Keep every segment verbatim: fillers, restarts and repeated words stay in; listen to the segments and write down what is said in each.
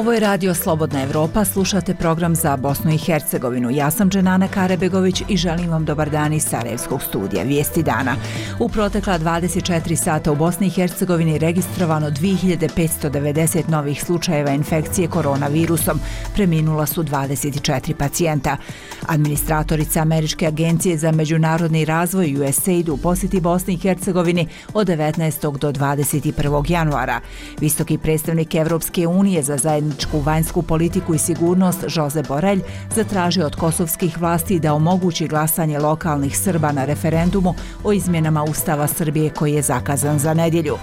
Ovo je radio Slobodna Evropa, slušate program za Bosnu i Hercegovinu. Ja sam Dženana Karebegović i želim vam dobar dan iz Sarajevskog studija. Vijesti dana. U protekla dvadeset četiri sata u Bosni i Hercegovini registrovano dvije hiljade petsto devedeset novih slučajeva infekcije koronavirusom. Preminula su dvadeset četiri pacijenta. Administratorica Američke agencije za međunarodni razvoj U S A I D u posjeti Bosni i Hercegovini od devetnaestog do dvadeset prvog januara. Visoki predstavnik Evropske unije za zajedničku vanjsku politiku i sigurnost Josep Borrell zatražio od kosovskih vlasti da omogući glasanje lokalnih Srba na referendumu o izmjenama Ustava Srbije koji je zakazan za nedjelju.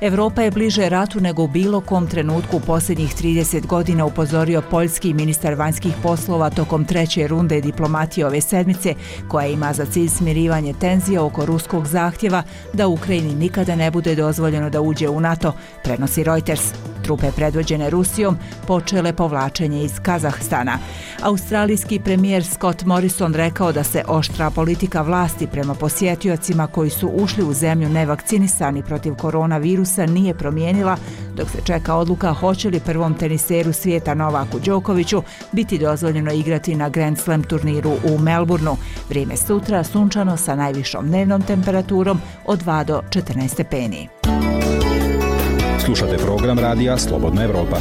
Evropa je bliže ratu nego u bilo kom trenutku u posljednjih trideset godina, upozorio poljski ministar vanjskih poslova tokom treće runde diplomatije ove sedmice, koja ima za cilj smirivanje tenzija oko ruskog zahtjeva da Ukrajini nikada ne bude dozvoljeno da uđe u NATO, prenosi Reuters. Trupe predvođene Rusijom počele povlačenje iz Kazahstana. Australijski premijer Scott Morrison rekao da se oštra politika vlasti prema posjetiocima koji su ušli u zemlju nevakcinisani protiv koronavirusa nije promijenila, dok se čeka odluka hoće li prvom teniseru svijeta Novaku Đokoviću biti dozvoljeno igrati na Grand Slam turniru u Melbourneu. Vrijeme sutra sunčano sa najvišom dnevnom temperaturom od dva do četrnaest stepeni. Slušate program radija Slobodna Evropa.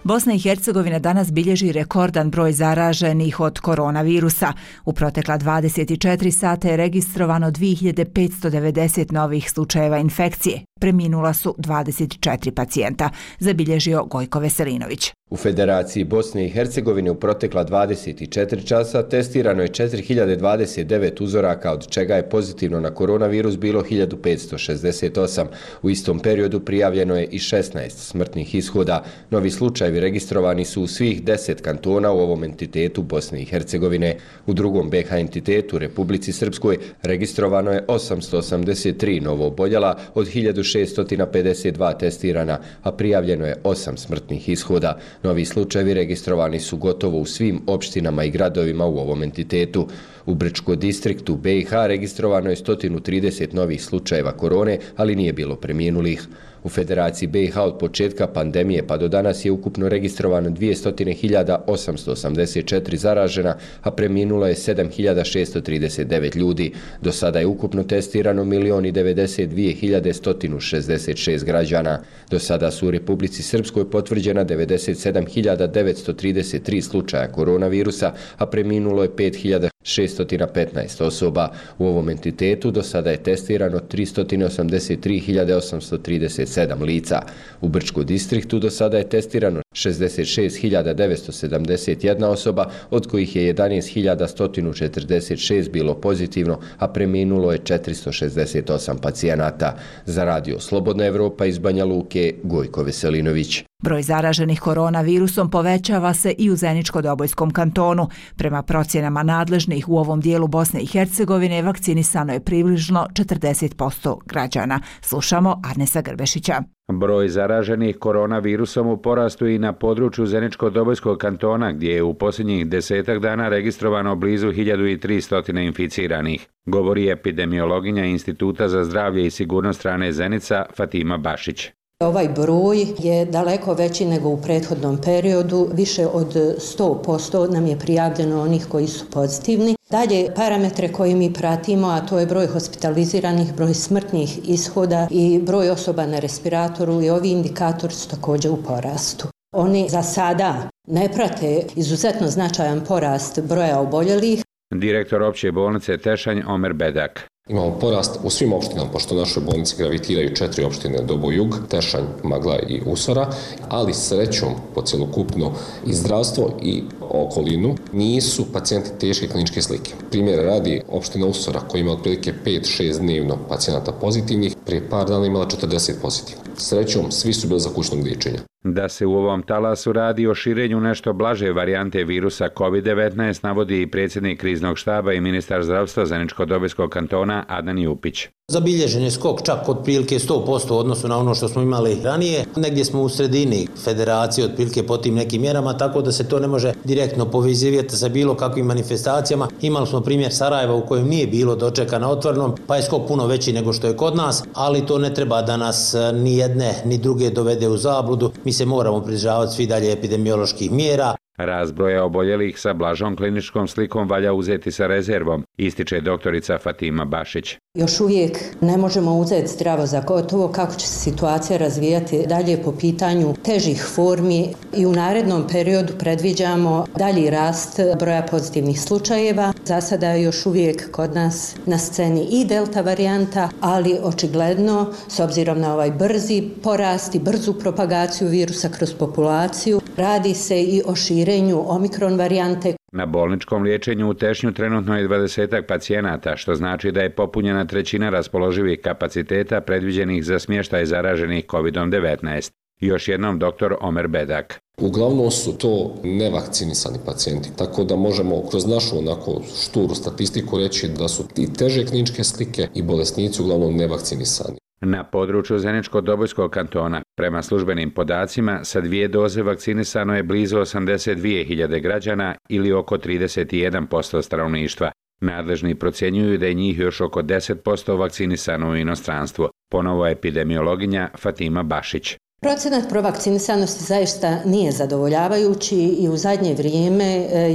Bosna i Hercegovina danas bilježi rekordan broj zaraženih od koronavirusa. U protekla dvadeset četiri sata je registrovano dvije hiljade petsto devedeset novih slučajeva infekcije. Preminula su dvadeset četiri pacijenta, zabilježio Gojko Veselinović. U Federaciji Bosne i Hercegovine u protekla dvadeset četiri časa testirano je četiri hiljade dvadeset devet uzoraka, od čega je pozitivno na koronavirus bilo hiljadu petsto šezdeset osam. U istom periodu prijavljeno je i šesnaest smrtnih ishoda. Novi slučajevi registrovani su u svih deset kantona u ovom entitetu Bosne i Hercegovine. U drugom B H entitetu, Republici Srpskoj, registrovano je osamsto osamdeset tri novo oboljela od hiljadu šesto pedeset dva testirana, a prijavljeno je osam smrtnih ishoda. Novi slučajevi registrovani su gotovo u svim opštinama i gradovima u ovom entitetu. U Brčko distriktu B i H registrovano je sto trideset novih slučajeva korone, ali nije bilo preminulih. U Federaciji B i H od početka pandemije pa do danas je ukupno registrovano dvjesto hiljada osamsto osamdeset četiri zaražena, a preminulo je sedam hiljada šesto trideset devet ljudi. Do sada je ukupno testirano milion devedeset dvije hiljade sto šezdeset šest građana. Do sada su u Republici Srpskoj potvrđena devedeset sedam hiljada devetsto trideset tri slučaja koronavirusa, a preminulo je pet hiljada šesto petnaest osoba. U ovom entitetu do sada je testirano tristo osamdeset tri hiljade osamsto trideset sedam lica. U Brčkom distriktu do sada je testirano šezdeset šest hiljada devetsto sedamdeset jedna osoba, od kojih je jedanaest hiljada sto četrdeset šest bilo pozitivno, a preminulo je četiristo šezdeset osam pacijenata. Za radio Slobodna Evropa iz Banja Luke, Gojko Veselinović. Broj zaraženih koronavirusom povećava se i u Zeničko-Dobojskom kantonu. Prema procjenama nadležnih u ovom dijelu Bosne i Hercegovine vakcinisano je približno četrdeset posto građana. Slušamo Arnesa Grbešića. Broj zaraženih koronavirusom u porastu i na području Zeničko-Dobojskog kantona, gdje je u posljednjih desetak dana registrovano blizu hiljadu tristo inficiranih, govori epidemiologinja Instituta za zdravlje i sigurnost hrane Zenica Fatima Bašić. Ovaj broj je daleko veći nego u prethodnom periodu, više od sto posto nam je prijavljeno onih koji su pozitivni. Dalje, parametre koje mi pratimo, a to je broj hospitaliziranih, broj smrtnih ishoda i broj osoba na respiratoru, i ovi indikatori su također u porastu. Oni za sada ne prate izuzetno značajan porast broja oboljelih. Direktor opće bolnice Tešanj Omer Bedak. Imamo porast u svim opštinama, pošto u našoj bolnici gravitiraju četiri opštine Doboj Jug, Tešanj, Magla i Usora, ali srećom po cjelokupno i zdravstvo i okolinu nisu pacijenti teške kliničke slike. Primjer radi opština Usora koja ima otprilike pet šest dnevno pacijenata pozitivnih, prije par dana imala četrdeset pozitivnih. Srećom svi su bili za kućnog liječenja. Da se u ovom talasu radi o širenju nešto blaže varijante virusa kovid devetnaest navodi i predsjednik kriznog štaba i ministar zdravstva Zeničko-Dobojskog kantona Adnan Jupić. Zabilježen je skok čak otprilike sto posto u odnosu na ono što smo imali ranije. Negdje smo u sredini federacije otprilike po tim nekim mjerama, tako da se to ne može direktno povezivati sa bilo kakvim manifestacijama. Imali smo primjer Sarajeva u kojem nije bilo dočeka na otvorenom, pa je skok puno veći nego što je kod nas, ali to ne treba da nas ni jedne ni druge dovede u zabludu. Mi se moramo pridržavati svi dalje epidemioloških mjera. Rast broja oboljelih sa blažom kliničkom slikom valja uzeti sa rezervom, ističe doktorica Fatima Bašić. Još uvijek ne možemo uzeti zdravo za gotovo kako će se situacija razvijati dalje po pitanju težih formi i u narednom periodu predviđamo dalji rast broja pozitivnih slučajeva. Za sada je još uvijek kod nas na sceni i delta varijanta, ali očigledno s obzirom na ovaj brzi porast i brzu propagaciju virusa kroz populaciju, radi se i o širenju omikron varijante. Na bolničkom liječenju u Tešnju trenutno je dvadesetak pacijenata, što znači da je popunjena trećina raspoloživih kapaciteta predviđenih za smještaj zaraženih kovid devetnaest. Još jednom doktor Omer Bedak. Uglavnom su to nevakcinisani pacijenti, tako da možemo kroz našu onako šturu statistiku reći da su i teže kliničke slike i bolesnici uglavnom nevakcinisani. Na području Zeničko-Dobojskog kantona, prema službenim podacima, sa dvije doze vakcinisano je blizu osamdeset dvije hiljade građana ili oko trideset jedan posto stanovništva. Nadležni procjenjuju da je njih još oko deset posto vakcinisano u inostranstvu. Ponovo epidemiologinja Fatima Bašić. Procenat provakcinisanosti zaista nije zadovoljavajući i u zadnje vrijeme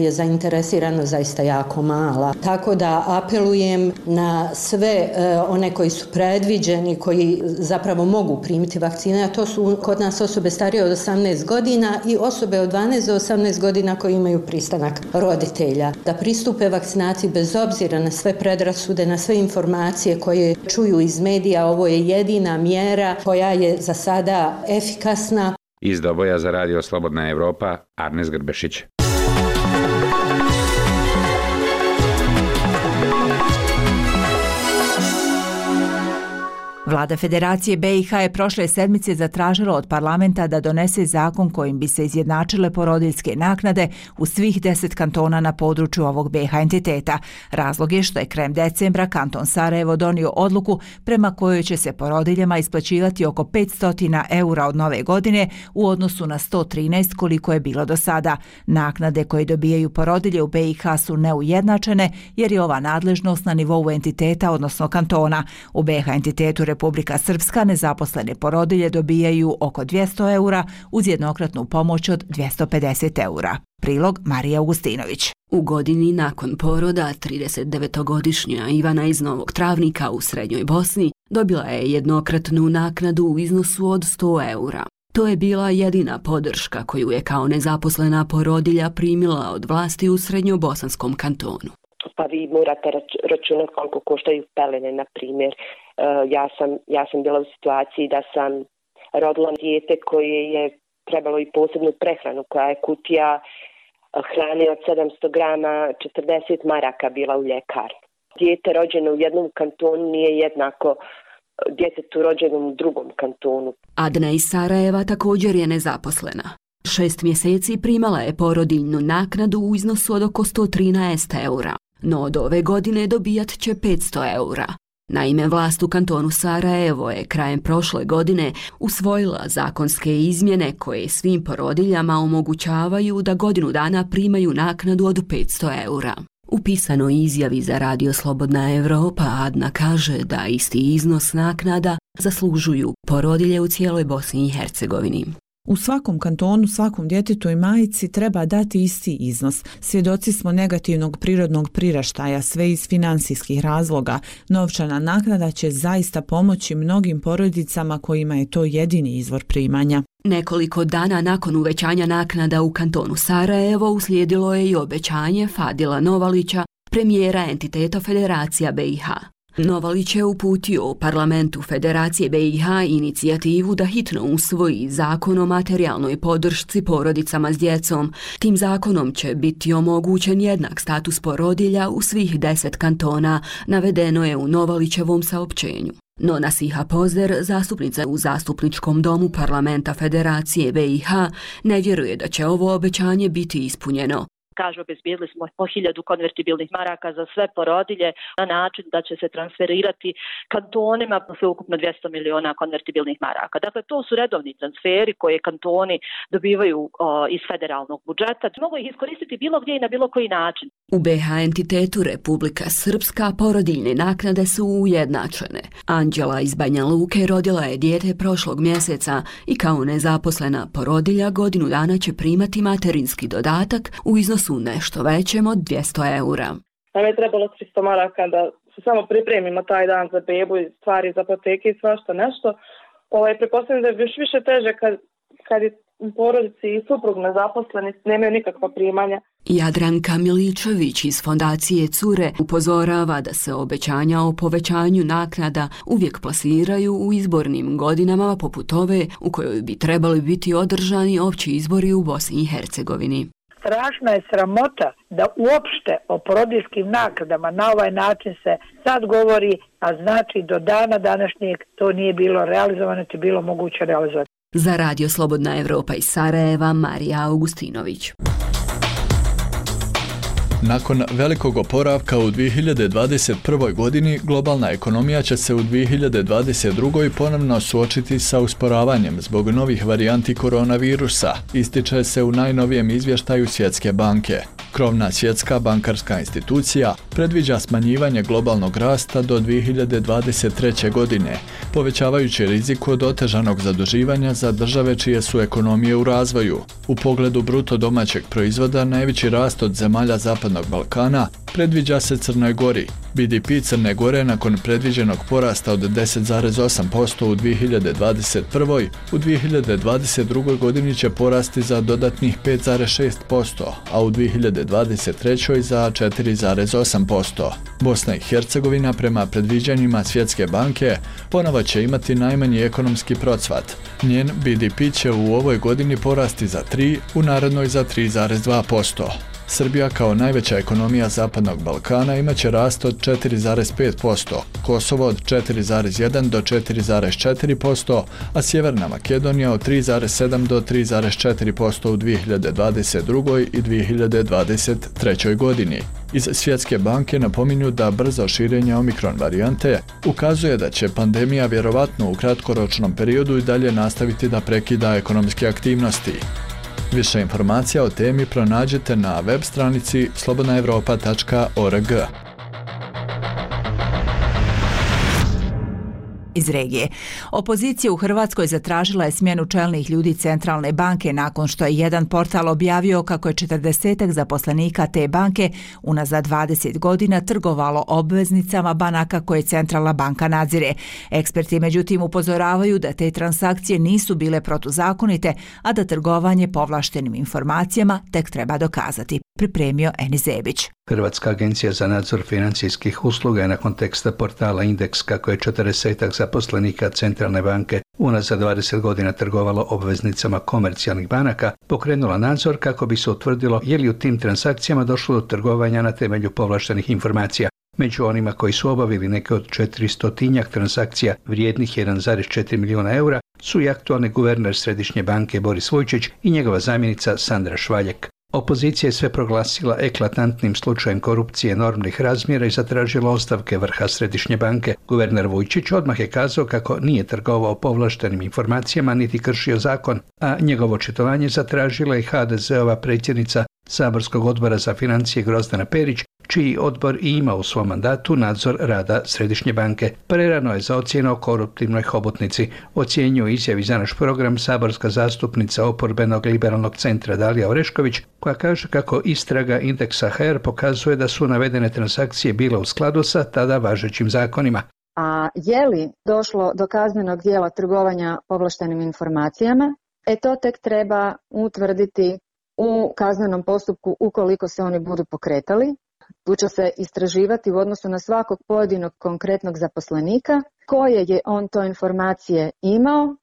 je zainteresirano zaista jako mala. Tako da apelujem na sve one koji su predviđeni, koji zapravo mogu primiti vakcine, a to su kod nas osobe starije od osamnaest godina i osobe od dvanaest do osamnaest godina koji imaju pristanak roditelja. Da pristupe vakcinaciji bez obzira na sve predrasude, na sve informacije koje čuju iz medija. Ovo je jedina mjera koja je za sada efikasna. Iz Doboja za Radio Slobodna Evropa, Arnes Grbešić. Vlada Federacije B i H je prošle sedmice zatražila od parlamenta da donese zakon kojim bi se izjednačile porodiljske naknade u svih deset kantona na području ovog B i H entiteta. Razlog je što je krajem decembra kanton Sarajevo donio odluku prema kojoj će se porodiljama isplaćivati oko petsto eura od nove godine u odnosu na sto trinaest koliko je bilo do sada. Naknade koje dobijaju porodilje u B i H su neujednačene jer je ova nadležnost na nivou entiteta, odnosno kantona. U B i H entitetu Republika Srpska nezaposlene porodilje dobijaju oko dvjesto eura uz jednokratnu pomoć od dvjesto pedeset eura. Prilog Marija Augustinović. U godini nakon poroda tridesetdevetogodišnja Ivana iz Novog Travnika u Srednjoj Bosni dobila je jednokratnu naknadu u iznosu od sto eura. To je bila jedina podrška koju je kao nezaposlena porodilja primila od vlasti u Srednjobosanskom kantonu. Pa vi morate računati koliko koštaju pelene, na primjer. Ja sam, ja sam bila u situaciji da sam rodila dijete koje je trebalo i posebnu prehranu, koja je kutija hrane od sedamsto grama, četrdeset maraka bila u ljekarni. Dijete rođeno u jednom kantonu nije jednako djetetu rođenom u drugom kantonu. Adna iz Sarajeva također je nezaposlena. Šest mjeseci primala je porodiljnu naknadu u iznosu od oko sto trinaest eura, no od ove godine dobijat će petsto eura. Naime, vlast u kantonu Sarajevo je krajem prošle godine usvojila zakonske izmjene koje svim porodiljama omogućavaju da godinu dana primaju naknadu od petsto eura. U pisanoj izjavi za Radio Slobodna Evropa Adna kaže da isti iznos naknada zaslužuju porodilje u cijeloj Bosni i Hercegovini. U svakom kantonu, svakom djetetu i majici treba dati isti iznos. Svjedoci smo negativnog prirodnog priraštaja, sve iz financijskih razloga. Novčana naknada će zaista pomoći mnogim porodicama kojima je to jedini izvor primanja. Nekoliko dana nakon uvećanja naknada u kantonu Sarajevo uslijedilo je i obećanje Fadila Novalića, premijera entiteta Federacija B i H. Novalić je uputio u parlamentu Federacije B i H inicijativu da hitno usvoji zakon o materijalnoj podršci porodicama s djecom. Tim zakonom će biti omogućen jednak status porodilja u svih deset kantona, navedeno je u Novalićevom saopćenju. No Nasiha Pozder, zastupnica u Zastupničkom domu parlamenta Federacije B i H, ne vjeruje da će ovo obećanje biti ispunjeno. Kaže, obezbijedili smo po hiljadu konvertibilnih maraka za sve porodilje na način da će se transferirati kantonima sve ukupno dvjesto miliona konvertibilnih maraka. Dakle, to su redovni transferi koje kantoni dobivaju o, iz federalnog budžeta. Mogu ih iskoristiti bilo gdje i na bilo koji način. U be ha entitetu Republika Srpska porodiljne naknade su ujednačene. Anđela iz Banja Luke rodila je dijete prošlog mjeseca i kao nezaposlena porodilja godinu dana će primati materinski dodatak u iznosu nešto većem od dvjesto eura. Nam je trebalo tristo maraka da se samo pripremimo taj dan za bebu i stvari za apoteke i svašta nešto. Ovaj, pretpostavljam da je još više teže kad, kad je u porodici i suprug nezaposleni, nemaju nikakva primanja. Jadranka Miličević iz fondacije Cure upozorava da se obećanja o povećanju naknada uvijek plasiraju u izbornim godinama poput ove u kojoj bi trebali biti održani opći izbori u Bosni i Hercegovini. Strašna je sramota da uopšte o porodiljskim naknadama na ovaj način se sad govori, a znači do dana današnjeg to nije bilo realizovano, to je bilo moguće realizovati. Za Radio Slobodna Evropa iz Sarajeva, Marija Augustinović. Nakon velikog oporavka u dvije hiljade dvadeset prvoj. godini, globalna ekonomija će se u dvije hiljade dvadeset drugoj. ponovno suočiti sa usporavanjem zbog novih varijanti koronavirusa, ističe se u najnovijem izvještaju Svjetske banke. Krovna svjetska bankarska institucija predviđa smanjivanje globalnog rasta do dvije hiljade dvadeset treće. godine, povećavajući rizik od otežanog zaduživanja za države čije su ekonomije u razvoju. U pogledu bruto domaćeg proizvoda najveći rast od zemalja Zapadnog Balkana predviđa se Crnoj Gori. be de pe Crne Gore nakon predviđenog porasta od deset zarez osam posto u dvije hiljade dvadeset prvoj. u dvije hiljade dvadeset drugoj. godini će porasti za dodatnih pet zarez šest posto, a u dvije hiljade dvadeset trećoj. za četiri zarez osam posto. Bosna i Hercegovina prema predviđanjima Svjetske banke ponovo će imati najmanji ekonomski procvat. Njen be de pe će u ovoj godini porasti za tri, u narednoj za tri zarez dva posto. Srbija kao najveća ekonomija Zapadnog Balkana imaće rast od četiri zarez pet posto, Kosovo od četiri zarez jedan do četiri zarez četiri posto, a Sjeverna Makedonija od tri zarez sedam do tri zarez četiri posto u dvije hiljade dvadeset drugoj. i dvije hiljade dvadeset trećoj. godini. Iz Svjetske banke napominju da brzo širenje omikron varijante ukazuje da će pandemija vjerovatno u kratkoročnom periodu i dalje nastaviti da prekida ekonomske aktivnosti. Više informacija o temi pronađete na web stranici slobodna evropa tačka org. Iz regije. Opozicija u Hrvatskoj zatražila je smjenu čelnih ljudi Centralne banke nakon što je jedan portal objavio kako je četrdesetak zaposlenika te banke unazad dvadeset godina trgovalo obveznicama banaka koje Centralna banka nadzire. Eksperti međutim upozoravaju da te transakcije nisu bile protuzakonite, a da trgovanje povlaštenim informacijama tek treba dokazati. Pripremio Eni Zebić. Hrvatska agencija za nadzor financijskih usluga je nakon teksta portala Indeks kako je četrdesetak zaposlenika Centralne banke unazad dvadeset godina trgovalo obveznicama komercijalnih banaka pokrenula nadzor kako bi se utvrdilo je li u tim transakcijama došlo do trgovanja na temelju povlaštenih informacija. Među onima koji su obavili neke od četiristotinjak transakcija vrijednih jedan zarez četiri milijuna eura su i aktualni guverner Središnje banke Boris Vujčić i njegova zamjenica Sandra Švaljek. Opozicija je sve proglasila eklatantnim slučajem korupcije enormnih razmjera i zatražila ostavke vrha Središnje banke. Guverner Vujčić odmah je kazao kako nije trgovao povlaštenim informacijama niti kršio zakon, a njegovo očitovanje zatražila i ha de zeova predsjednica Saborskog odbora za financije Grozdana Perić, čiji odbor i ima u svom mandatu nadzor rada Središnje banke. Prerano je za ocjenu o koruptivnoj hobotnici, ocjenjuje izjavi za naš program saborska zastupnica oporbenog liberalnog centra Dalija Orešković, koja kaže kako istraga Indeksa ha er pokazuje da su navedene transakcije bile u skladu sa tada važećim zakonima. A je li došlo do kaznenog djela trgovanja povlaštenim informacijama? E to tek treba utvrditi u kaznenom postupku ukoliko se oni budu pokretali. Tu će se istraživati u odnosu na svakog pojedinog konkretnog zaposlenika koje je on to informacije imao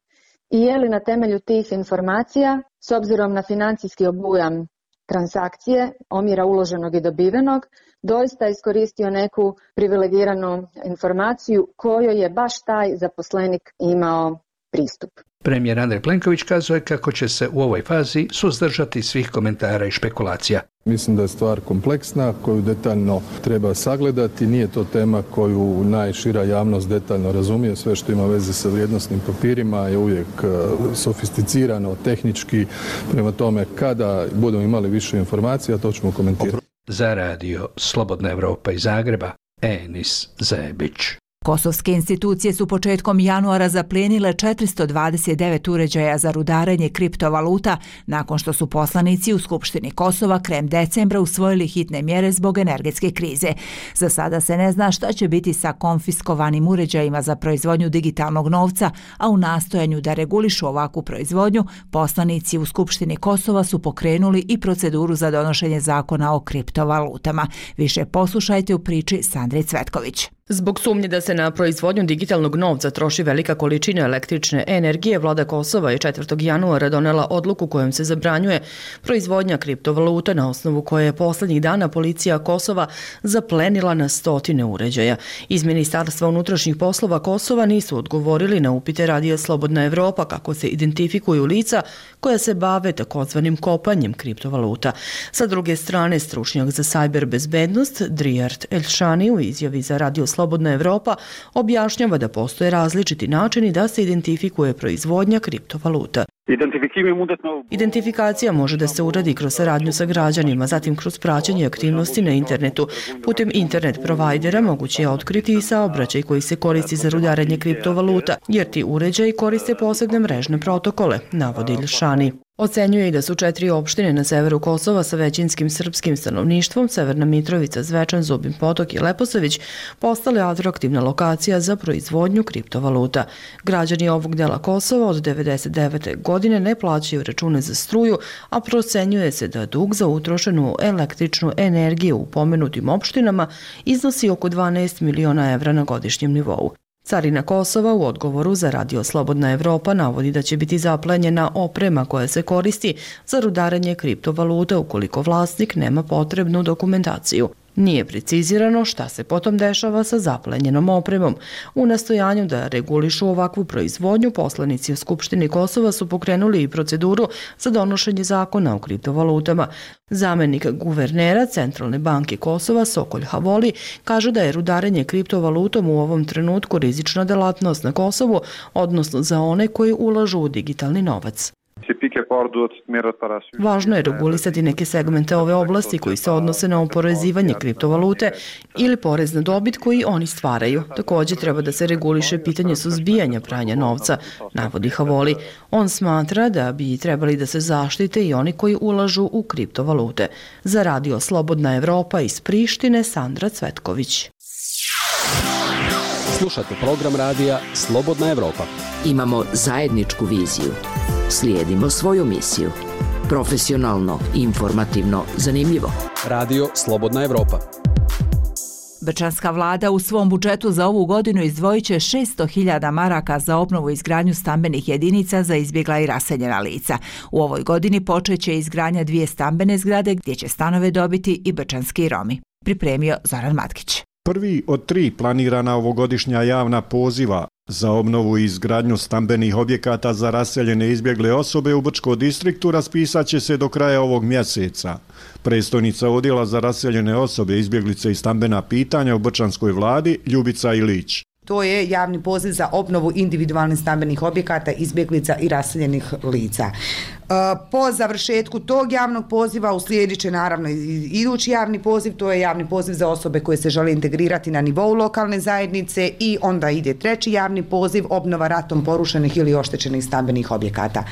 i je li na temelju tih informacija s obzirom na financijski obujam transakcije, omjera uloženog i dobivenog, doista iskoristio neku privilegiranu informaciju kojoj je baš taj zaposlenik imao pristup. Premijer Andrej Plenković kazuje kako će se u ovoj fazi suzdržati svih komentara i špekulacija. Mislim da je stvar kompleksna koju detaljno treba sagledati. Nije to tema koju najšira javnost detaljno razumije. Sve što ima veze sa vrijednosnim papirima je uvijek sofisticirano, tehnički. Prema tome, kada budemo imali više informacija, to ćemo komentirati. Za radio Slobodna Evropa iz Zagreba, Enis Zebić. Kosovske institucije su početkom januara zaplijenile četiristo dvadeset devet uređaja za rudarenje kriptovaluta nakon što su poslanici u Skupštini Kosova krajem decembra usvojili hitne mjere zbog energetske krize. Za sada se ne zna šta će biti sa konfiskovanim uređajima za proizvodnju digitalnog novca, a u nastojanju da regulišu ovakvu proizvodnju, poslanici u Skupštini Kosova su pokrenuli i proceduru za donošenje zakona o kriptovalutama. Više poslušajte u priči Sandre Cvetković. Zbog sumnje da se na proizvodnju digitalnog novca troši velika količina električne energije, vlada Kosova je četvrtog januara donela odluku kojom se zabranjuje proizvodnja kriptovaluta, na osnovu koje je poslednjih dana policija Kosova zaplenila na stotine uređaja. Iz Ministarstva unutrašnjih poslova Kosova nisu odgovorili na upite radija Slobodna Evropa kako se identifikuju lica koja se bave takozvanim kopanjem kriptovaluta. Sa druge strane, stručnjak za sajber bezbednost Drijart Elšani u izjavi za radio Slobodna Evropa objašnjava da postoje različiti načini da se identifikuje proizvodnja kriptovaluta. Identifikacija može da se uradi kroz saradnju sa građanima, zatim kroz praćenje aktivnosti na internetu. Putem internet provajdera moguće je otkriti i saobraćaj koji se koristi za rudarenje kriptovaluta, jer ti uređaji koriste posebne mrežne protokole, navodi Ilšani. Ocenjuje i da su četiri opštine na severu Kosova sa većinskim srpskim stanovništvom, Severna Mitrovica, Zvečan, Zubin Potok i Leposavić, postale atraktivna lokacija za proizvodnju kriptovaluta. Građani ovog dela Kosova od devedeset devete godine ne plaćaju račune za struju, a procenjuje se da dug za utrošenu električnu energiju u pomenutim opštinama iznosi oko dvanaest miliona evra na godišnjem nivou. Carina Kosova u odgovoru za radio Slobodna Evropa navodi da će biti zaplenjena oprema koja se koristi za rudarenje kriptovaluta ukoliko vlasnik nema potrebnu dokumentaciju. Nije precizirano šta se potom dešava sa zaplenjenom opremom. U nastojanju da regulišu ovakvu proizvodnju, poslanici u Skupštini Kosova su pokrenuli i proceduru za donošenje zakona o kriptovalutama. Zamenik guvernera Centralne banke Kosova Sokolj Havoli kaže da je rudarenje kriptovalutom u ovom trenutku rizična delatnost na Kosovu, odnosno za one koji ulažu u digitalni novac. Važno je regulisati neke segmente ove oblasti koji se odnose na oporezivanje kriptovalute ili porez na dobit koji oni stvaraju. Također treba da se reguliše pitanje suzbijanja pranja novca, navodi Havoli. On smatra da bi trebali da se zaštite i oni koji ulažu u kriptovalute. Za radio Slobodna Evropa iz Prištine, Sandra Cvetković. Slušate program radija Slobodna Evropa. Imamo zajedničku viziju. Slijedimo svoju misiju. Profesionalno, informativno, zanimljivo. Radio Slobodna Evropa. Brčanska vlada u svom budžetu za ovu godinu izdvojit će šesto hiljada maraka za obnovu i izgradnju stambenih jedinica za izbjegla i raseljena lica. U ovoj godini počeće izgradnja dvije stambene zgrade gdje će stanove dobiti i brčanski Romi. Pripremio Zoran Matkić. Prvi od tri planirana ovogodišnja javna poziva za obnovu i izgradnju stambenih objekata za raseljene izbjegle osobe u Brčkom distriktu raspisat će se do kraja ovog mjeseca. Predstojnica odjela za raseljene osobe, izbjeglice i stambena pitanja u Brčanskoj vladi Ljubica Ilić. To je javni poziv za obnovu individualnih stambenih objekata, izbjeglica i raseljenih lica. Po završetku tog javnog poziva uslijedit će naravno idući javni poziv, to je javni poziv za osobe koje se žele integrirati na nivou lokalne zajednice i onda ide treći javni poziv, obnova ratom porušenih ili oštećenih stambenih objekata.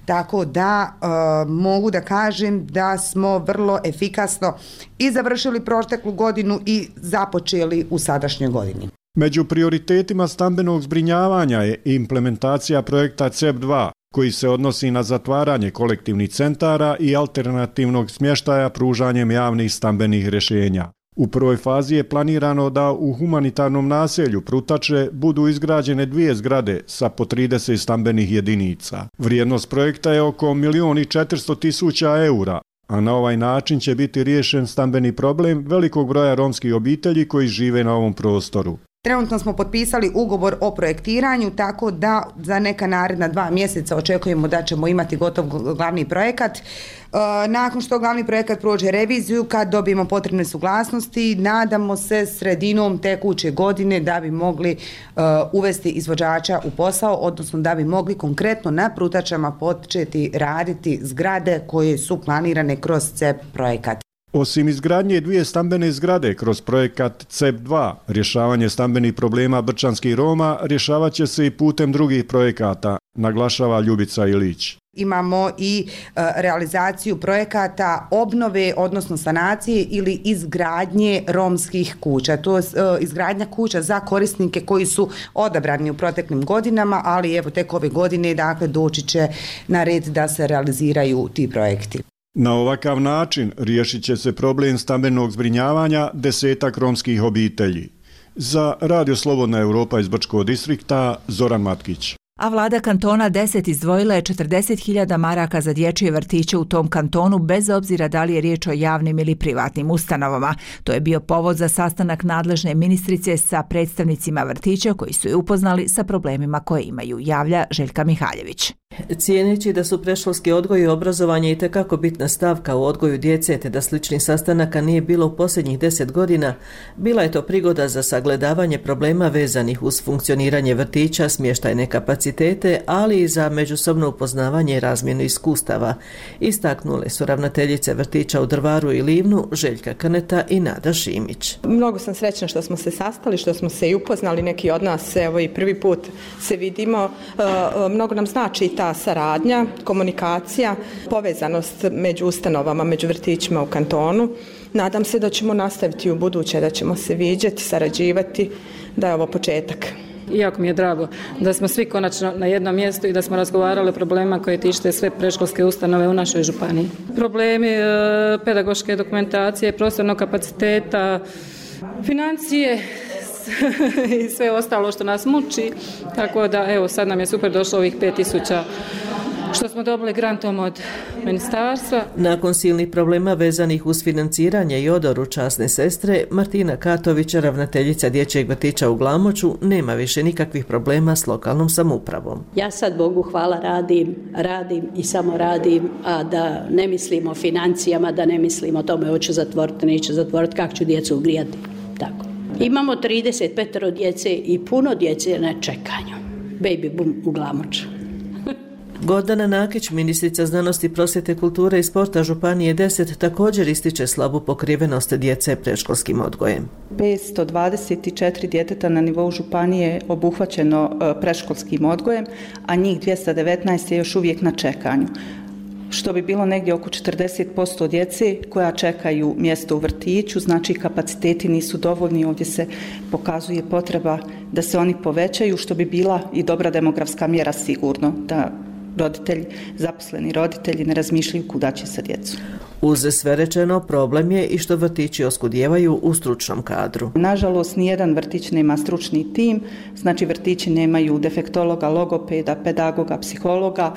Tako da e, mogu da kažem da smo vrlo efikasno i završili proteklu godinu i započeli u sadašnjoj godini. Među prioritetima stambenog zbrinjavanja je implementacija projekta C E P dva, koji se odnosi na zatvaranje kolektivnih centara i alternativnog smještaja pružanjem javnih stambenih rješenja. U prvoj fazi je planirano da u humanitarnom naselju Prutače budu izgrađene dvije zgrade sa po trideset stambenih jedinica. Vrijednost projekta je oko milion i četiristo tisuća eura, a na ovaj način će biti riješen stambeni problem velikog broja romskih obitelji koji žive na ovom prostoru. Trenutno smo potpisali ugovor o projektiranju, tako da za neka naredna dva mjeseca očekujemo da ćemo imati gotov glavni projekat. Nakon što glavni projekat prođe reviziju, kad dobijemo potrebne suglasnosti, nadamo se sredinom tekuće godine da bi mogli uvesti izvođača u posao, odnosno da bi mogli konkretno na Prutačama početi raditi zgrade koje su planirane kroz C E P projekat. Osim izgradnje dvije stambene zgrade kroz projekat C E P dva, rješavanje stambenih problema brčanskih Roma rješavat će se i putem drugih projekata, naglašava Ljubica Ilić. Imamo i e, realizaciju projekata obnove, odnosno sanacije ili izgradnje romskih kuća. To je e, izgradnja kuća za korisnike koji su odabrani u proteklim godinama, ali evo tek ove godine dakle doći će na red da se realiziraju ti projekti. Na ovakav način riješit će se problem stambenog zbrinjavanja desetak romskih obitelji. Za Radio Slobodna Europa iz Brčkog distrikta, Zoran Matkić. A vlada kantona deset izdvojila je četrdeset hiljada maraka za dječje vrtiće u tom kantonu bez obzira da li je riječ o javnim ili privatnim ustanovama. To je bio povod za sastanak nadležne ministrice sa predstavnicima vrtića koji su je upoznali sa problemima koje imaju, javlja Željka Mihaljević. Cijeneći da su predškolski odgoj i obrazovanje itekako bitna stavka u odgoju djece te da sličnih sastanaka nije bilo u posljednjih deset godina, bila je to prigoda za sagledavanje problema vezanih uz funkcioniranje vrtića, smještajne kapacitete, ali i za međusobno upoznavanje i razmjenu iskustava. Istaknule su ravnateljice vrtića u Drvaru i Livnu, Željka Krneta i Nada Šimić. Mnogo sam srećna što smo se sastali, što smo se i upoznali, neki od nas, evo i prvi put se vidimo. Mnogo nam znači ta saradnja, komunikacija, povezanost među ustanovama, među vrtićima u kantonu. Nadam se da ćemo nastaviti u buduće, da ćemo se viđati, sarađivati, da je ovo početak. Jako mi je drago da smo svi konačno na jednom mjestu i da smo razgovarali o problema koje tište sve predškolske ustanove u našoj županiji. Problemi e, pedagoške dokumentacije, prostornog kapaciteta, financije i sve ostalo što nas muči, tako da evo sad nam je super došlo ovih pet tisuća što smo dobili grantom od ministarstva. Nakon silnih problema vezanih uz financiranje i odoru časne sestre, Martina Katović, ravnateljica dječjeg vrtića u Glamoču, nema više nikakvih problema s lokalnom samoupravom. Ja sad Bogu hvala radim, radim i samo radim, a da ne mislim o financijama, da ne mislim o tome hoću zatvoriti, neću zatvoriti, kako ću djecu ugrijati. Tako. Imamo trideset pet djece i puno djece na čekanju. Baby boom u Glamoču. Gordana Nakić, ministrica znanosti, prosvjete, kulture i sporta Županije deset, također ističe slabu pokrivenost djece predškolskim odgojem. petsto dvadeset četiri djeteta na nivou županije je obuhvaćeno predškolskim odgojem, a njih dvjesto devetnaest je još uvijek na čekanju, što bi bilo negdje oko četrdeset posto djece koja čekaju mjesto u vrtiću, znači kapaciteti nisu dovoljni, ovdje se pokazuje potreba da se oni povećaju, što bi bila i dobra demografska mjera sigurno, da roditelji, zaposleni roditelji ne razmišljaju kuda će sa djecom. Uz sve rečeno, problem je i što vrtići oskudijevaju u stručnom kadru. Nažalost, nijedan vrtić nema stručni tim, znači vrtići nemaju defektologa, logopeda, pedagoga, psihologa,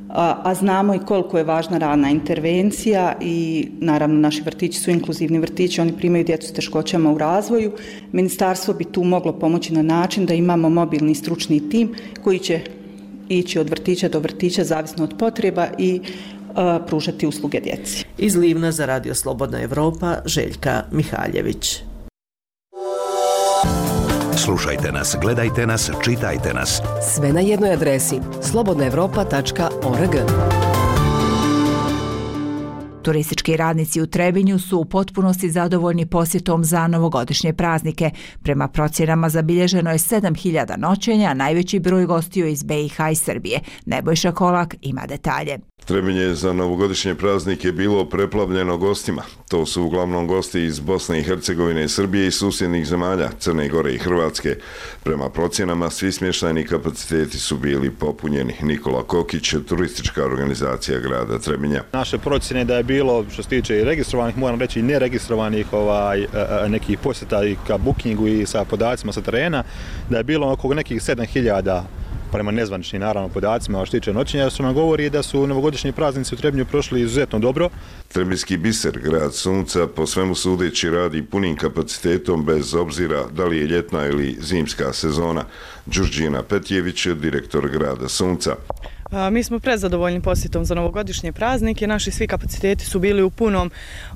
A, a znamo i koliko je važna rana intervencija i naravno naši vrtići su inkluzivni vrtići, oni primaju djecu s teškoćama u razvoju. Ministarstvo bi tu moglo pomoći na način da imamo mobilni stručni tim koji će ići od vrtića do vrtića zavisno od potreba i a, pružati usluge djeci. Iz Livna za Radio Slobodna Europa, Željka Mihaljević. Slušajte nas, gledajte nas, čitajte nas. Sve na jednoj adresi slobodna europa tačka org. Turistički radnici u Trebinju su u potpunosti zadovoljni posjetom za novogodišnje praznike. Prema procjenama zabilježeno je sedam hiljada noćenja, a najveći broj gostiju iz B i H i Srbije. Nebojša Kolak ima detalje. Trebinje za novogodišnje praznike bilo preplavljeno gostima. To su uglavnom gosti iz Bosne i Hercegovine, Srbije i susjednih zemalja, Crne Gore i Hrvatske. Prema procjenama, svi smještajni kapaciteti su bili popunjeni. Nikola Kokić, turistička organizacija grada Trebinja. Naše procjene da je bilo, što se tiče i registrovanih, moram reći i neregistrovanih ovaj, nekih posjeta i ka bookingu i sa podacima sa terena, da je bilo oko nekih sedam hiljada prema nezvaničnim naravno podacima što tiče noćenja, što nam govori da su novogodišnji praznici u Trebinju prošli izuzetno dobro. Trebinjski biser, grad sunca, po svemu sudeći radi punim kapacitetom bez obzira da li je ljetna ili zimska sezona. Đurđina Petjević, direktor grada sunca. Mi smo prezadovoljni posjetom za novogodišnje praznike, naši svi kapaciteti su bili u punom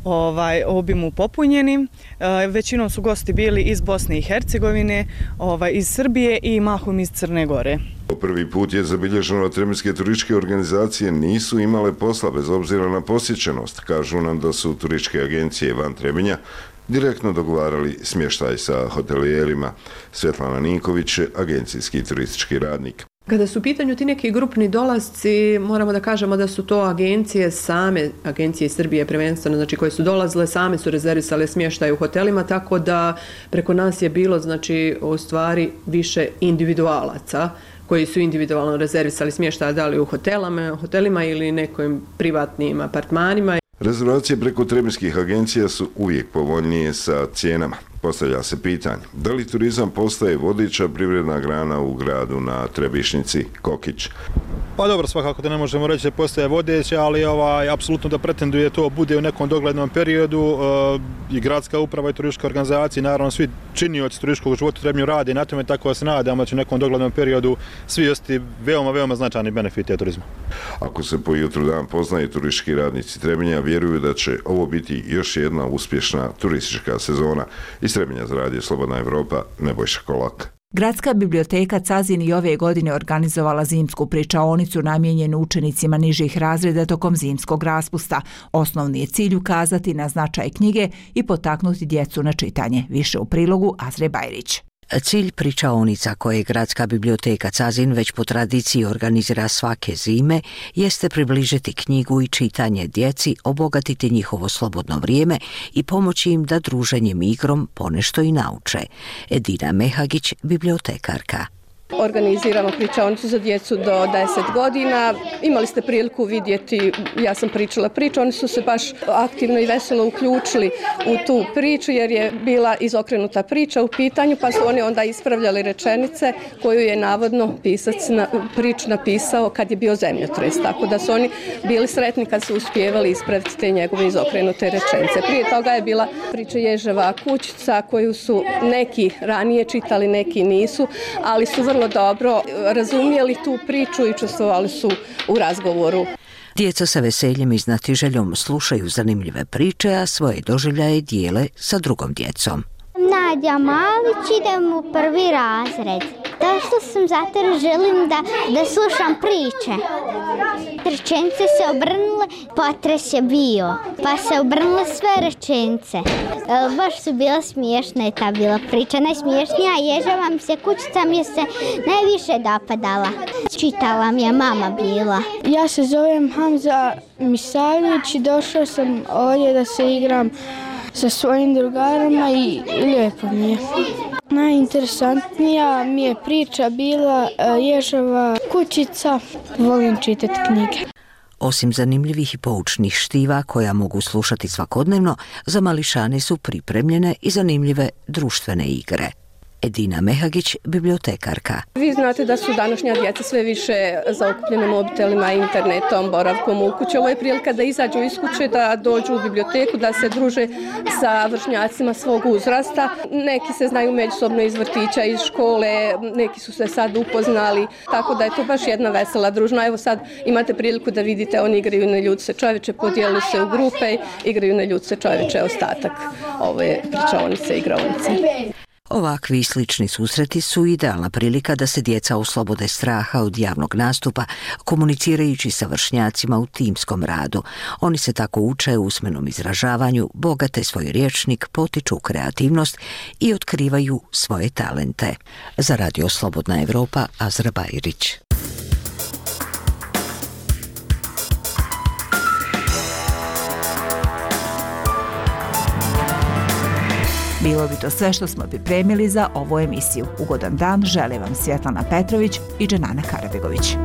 ovaj, obimu popunjeni. Većinom su gosti bili iz Bosne i Hercegovine, ovaj, iz Srbije i mahom iz Crne Gore. Prvi put je zabilježeno da trebinjske turističke organizacije nisu imale posla bez obzira na posjećenost. Kažu nam da su turističke agencije van Trebinja direktno dogovarali smještaj sa hotelijerima. Svetlana Ninković, agencijski turistički radnik. Kada su u pitanju ti neki grupni dolasci, moramo da kažemo da su to agencije same, agencije iz Srbije prvenstveno, znači koje su dolazile, same su rezervisale smještaj u hotelima, tako da preko nas je bilo, znači, u stvari više individualaca koji su individualno rezervisali smještaj, da li u hotelama, hotelima ili nekim privatnim apartmanima. Rezervacije preko trebinjskih agencija su uvijek povoljnije sa cijenama. Postavlja se pitanje, da li turizam postaje vodeća privredna grana u gradu na Trebišnjici, Kokić? Pa dobro, svakako da ne možemo reći da postaje vodeća, ali ovaj, apsolutno da pretenduje to bude u nekom doglednom periodu. E, I gradska uprava i turistička organizacija, naravno svi činioci turističkog života u Trebinju radi na tome, tako da se nadamo da će u nekom doglednom periodu svi ostati veoma, veoma značajni benefiti turizma. Ako se po jutru dan poznaje, turistički radnici Trebinja vjeruju da će ovo biti još jedna uspješna turistička sezona. Iz Trebinja za radio Slobodna Evropa, Nebojša Kolak. Gradska biblioteka Cazin i ove godine organizovala zimsku pričaonicu namijenjenu učenicima nižih razreda tokom zimskog raspusta. Osnovni je cilj ukazati na značaj knjige i potaknuti djecu na čitanje. Više u prilogu Azre Bajrić. Cilj pričaonica koje Gradska biblioteka Cazin već po tradiciji organizira svake zime jeste približiti knjigu i čitanje djeci, obogatiti njihovo slobodno vrijeme i pomoći im da druženjem igrom ponešto i nauče. Edina Mehagić, bibliotekarka. Organiziramo pričaonicu za djecu do deset godina. Imali ste priliku vidjeti, ja sam pričala priču, oni su se baš aktivno i veselo uključili u tu priču jer je bila izokrenuta priča u pitanju, pa su oni onda ispravljali rečenice koju je navodno pisac na, prič napisao kad je bio zemljotres. Tako da su oni bili sretni kad su uspjevali ispraviti te njegove izokrenute rečenice. Prije toga je bila priča Ježeva kućica koju su neki ranije čitali, neki nisu, ali su vrlo dobro razumijeli tu priču i učestvovali su u razgovoru. Djeca sa veseljem i znatiželjom slušaju zanimljive priče, a svoje doživljaje dijele sa drugom djecom. Nadja Malić, idem u prvi razred. To što sam zato želim da, da slušam priče. Rečenice se obrnule, potres je bio, pa se obrnule sve rečenice. E, baš su bila smiješna je ta bila priča. Najsmiješnija Ježeva mi se kućica mi se najviše dopadala. Čitala mi je mama bila. Ja se zovem Hamza Misavljević i došao sam ovdje da se igram sa svojim drugarima i lijepo mi je. Najinteresantnija mi je priča bila Ježeva kućica. Volim čitati knjige. Osim zanimljivih i poučnih štiva koja mogu slušati svakodnevno, za mališane su pripremljene i zanimljive društvene igre. Edina Mehagić, bibliotekarka. Vi znate da su današnja djeca sve više zaokupljene mobitelima, internetom, boravkom u kući. Ovo je prilika da izađu iz kuće, da dođu u biblioteku, da se druže sa vršnjacima svog uzrasta. Neki se znaju međusobno iz vrtića, iz škole, neki su se sad upoznali, tako da je to baš jedna vesela družna. Evo sad imate priliku da vidite, oni igraju na ljudce čovječe, podijelili se u grupe, igraju na ljudce čovječe ostatak ove pričaonice i igraonice. Ovakvi i slični susreti su idealna prilika da se djeca oslobode straha od javnog nastupa, komunicirajući sa vršnjacima u timskom radu. Oni se tako uče u usmenom izražavanju, bogate svoj rječnik, potiču kreativnost i otkrivaju svoje talente. Za radio Slobodna Evropa, Azra Bajrić. Bilo bi to sve što smo pripremili za ovu emisiju. Ugodan dan žele vam Svjetlana Petrović i Dženana Karabegović.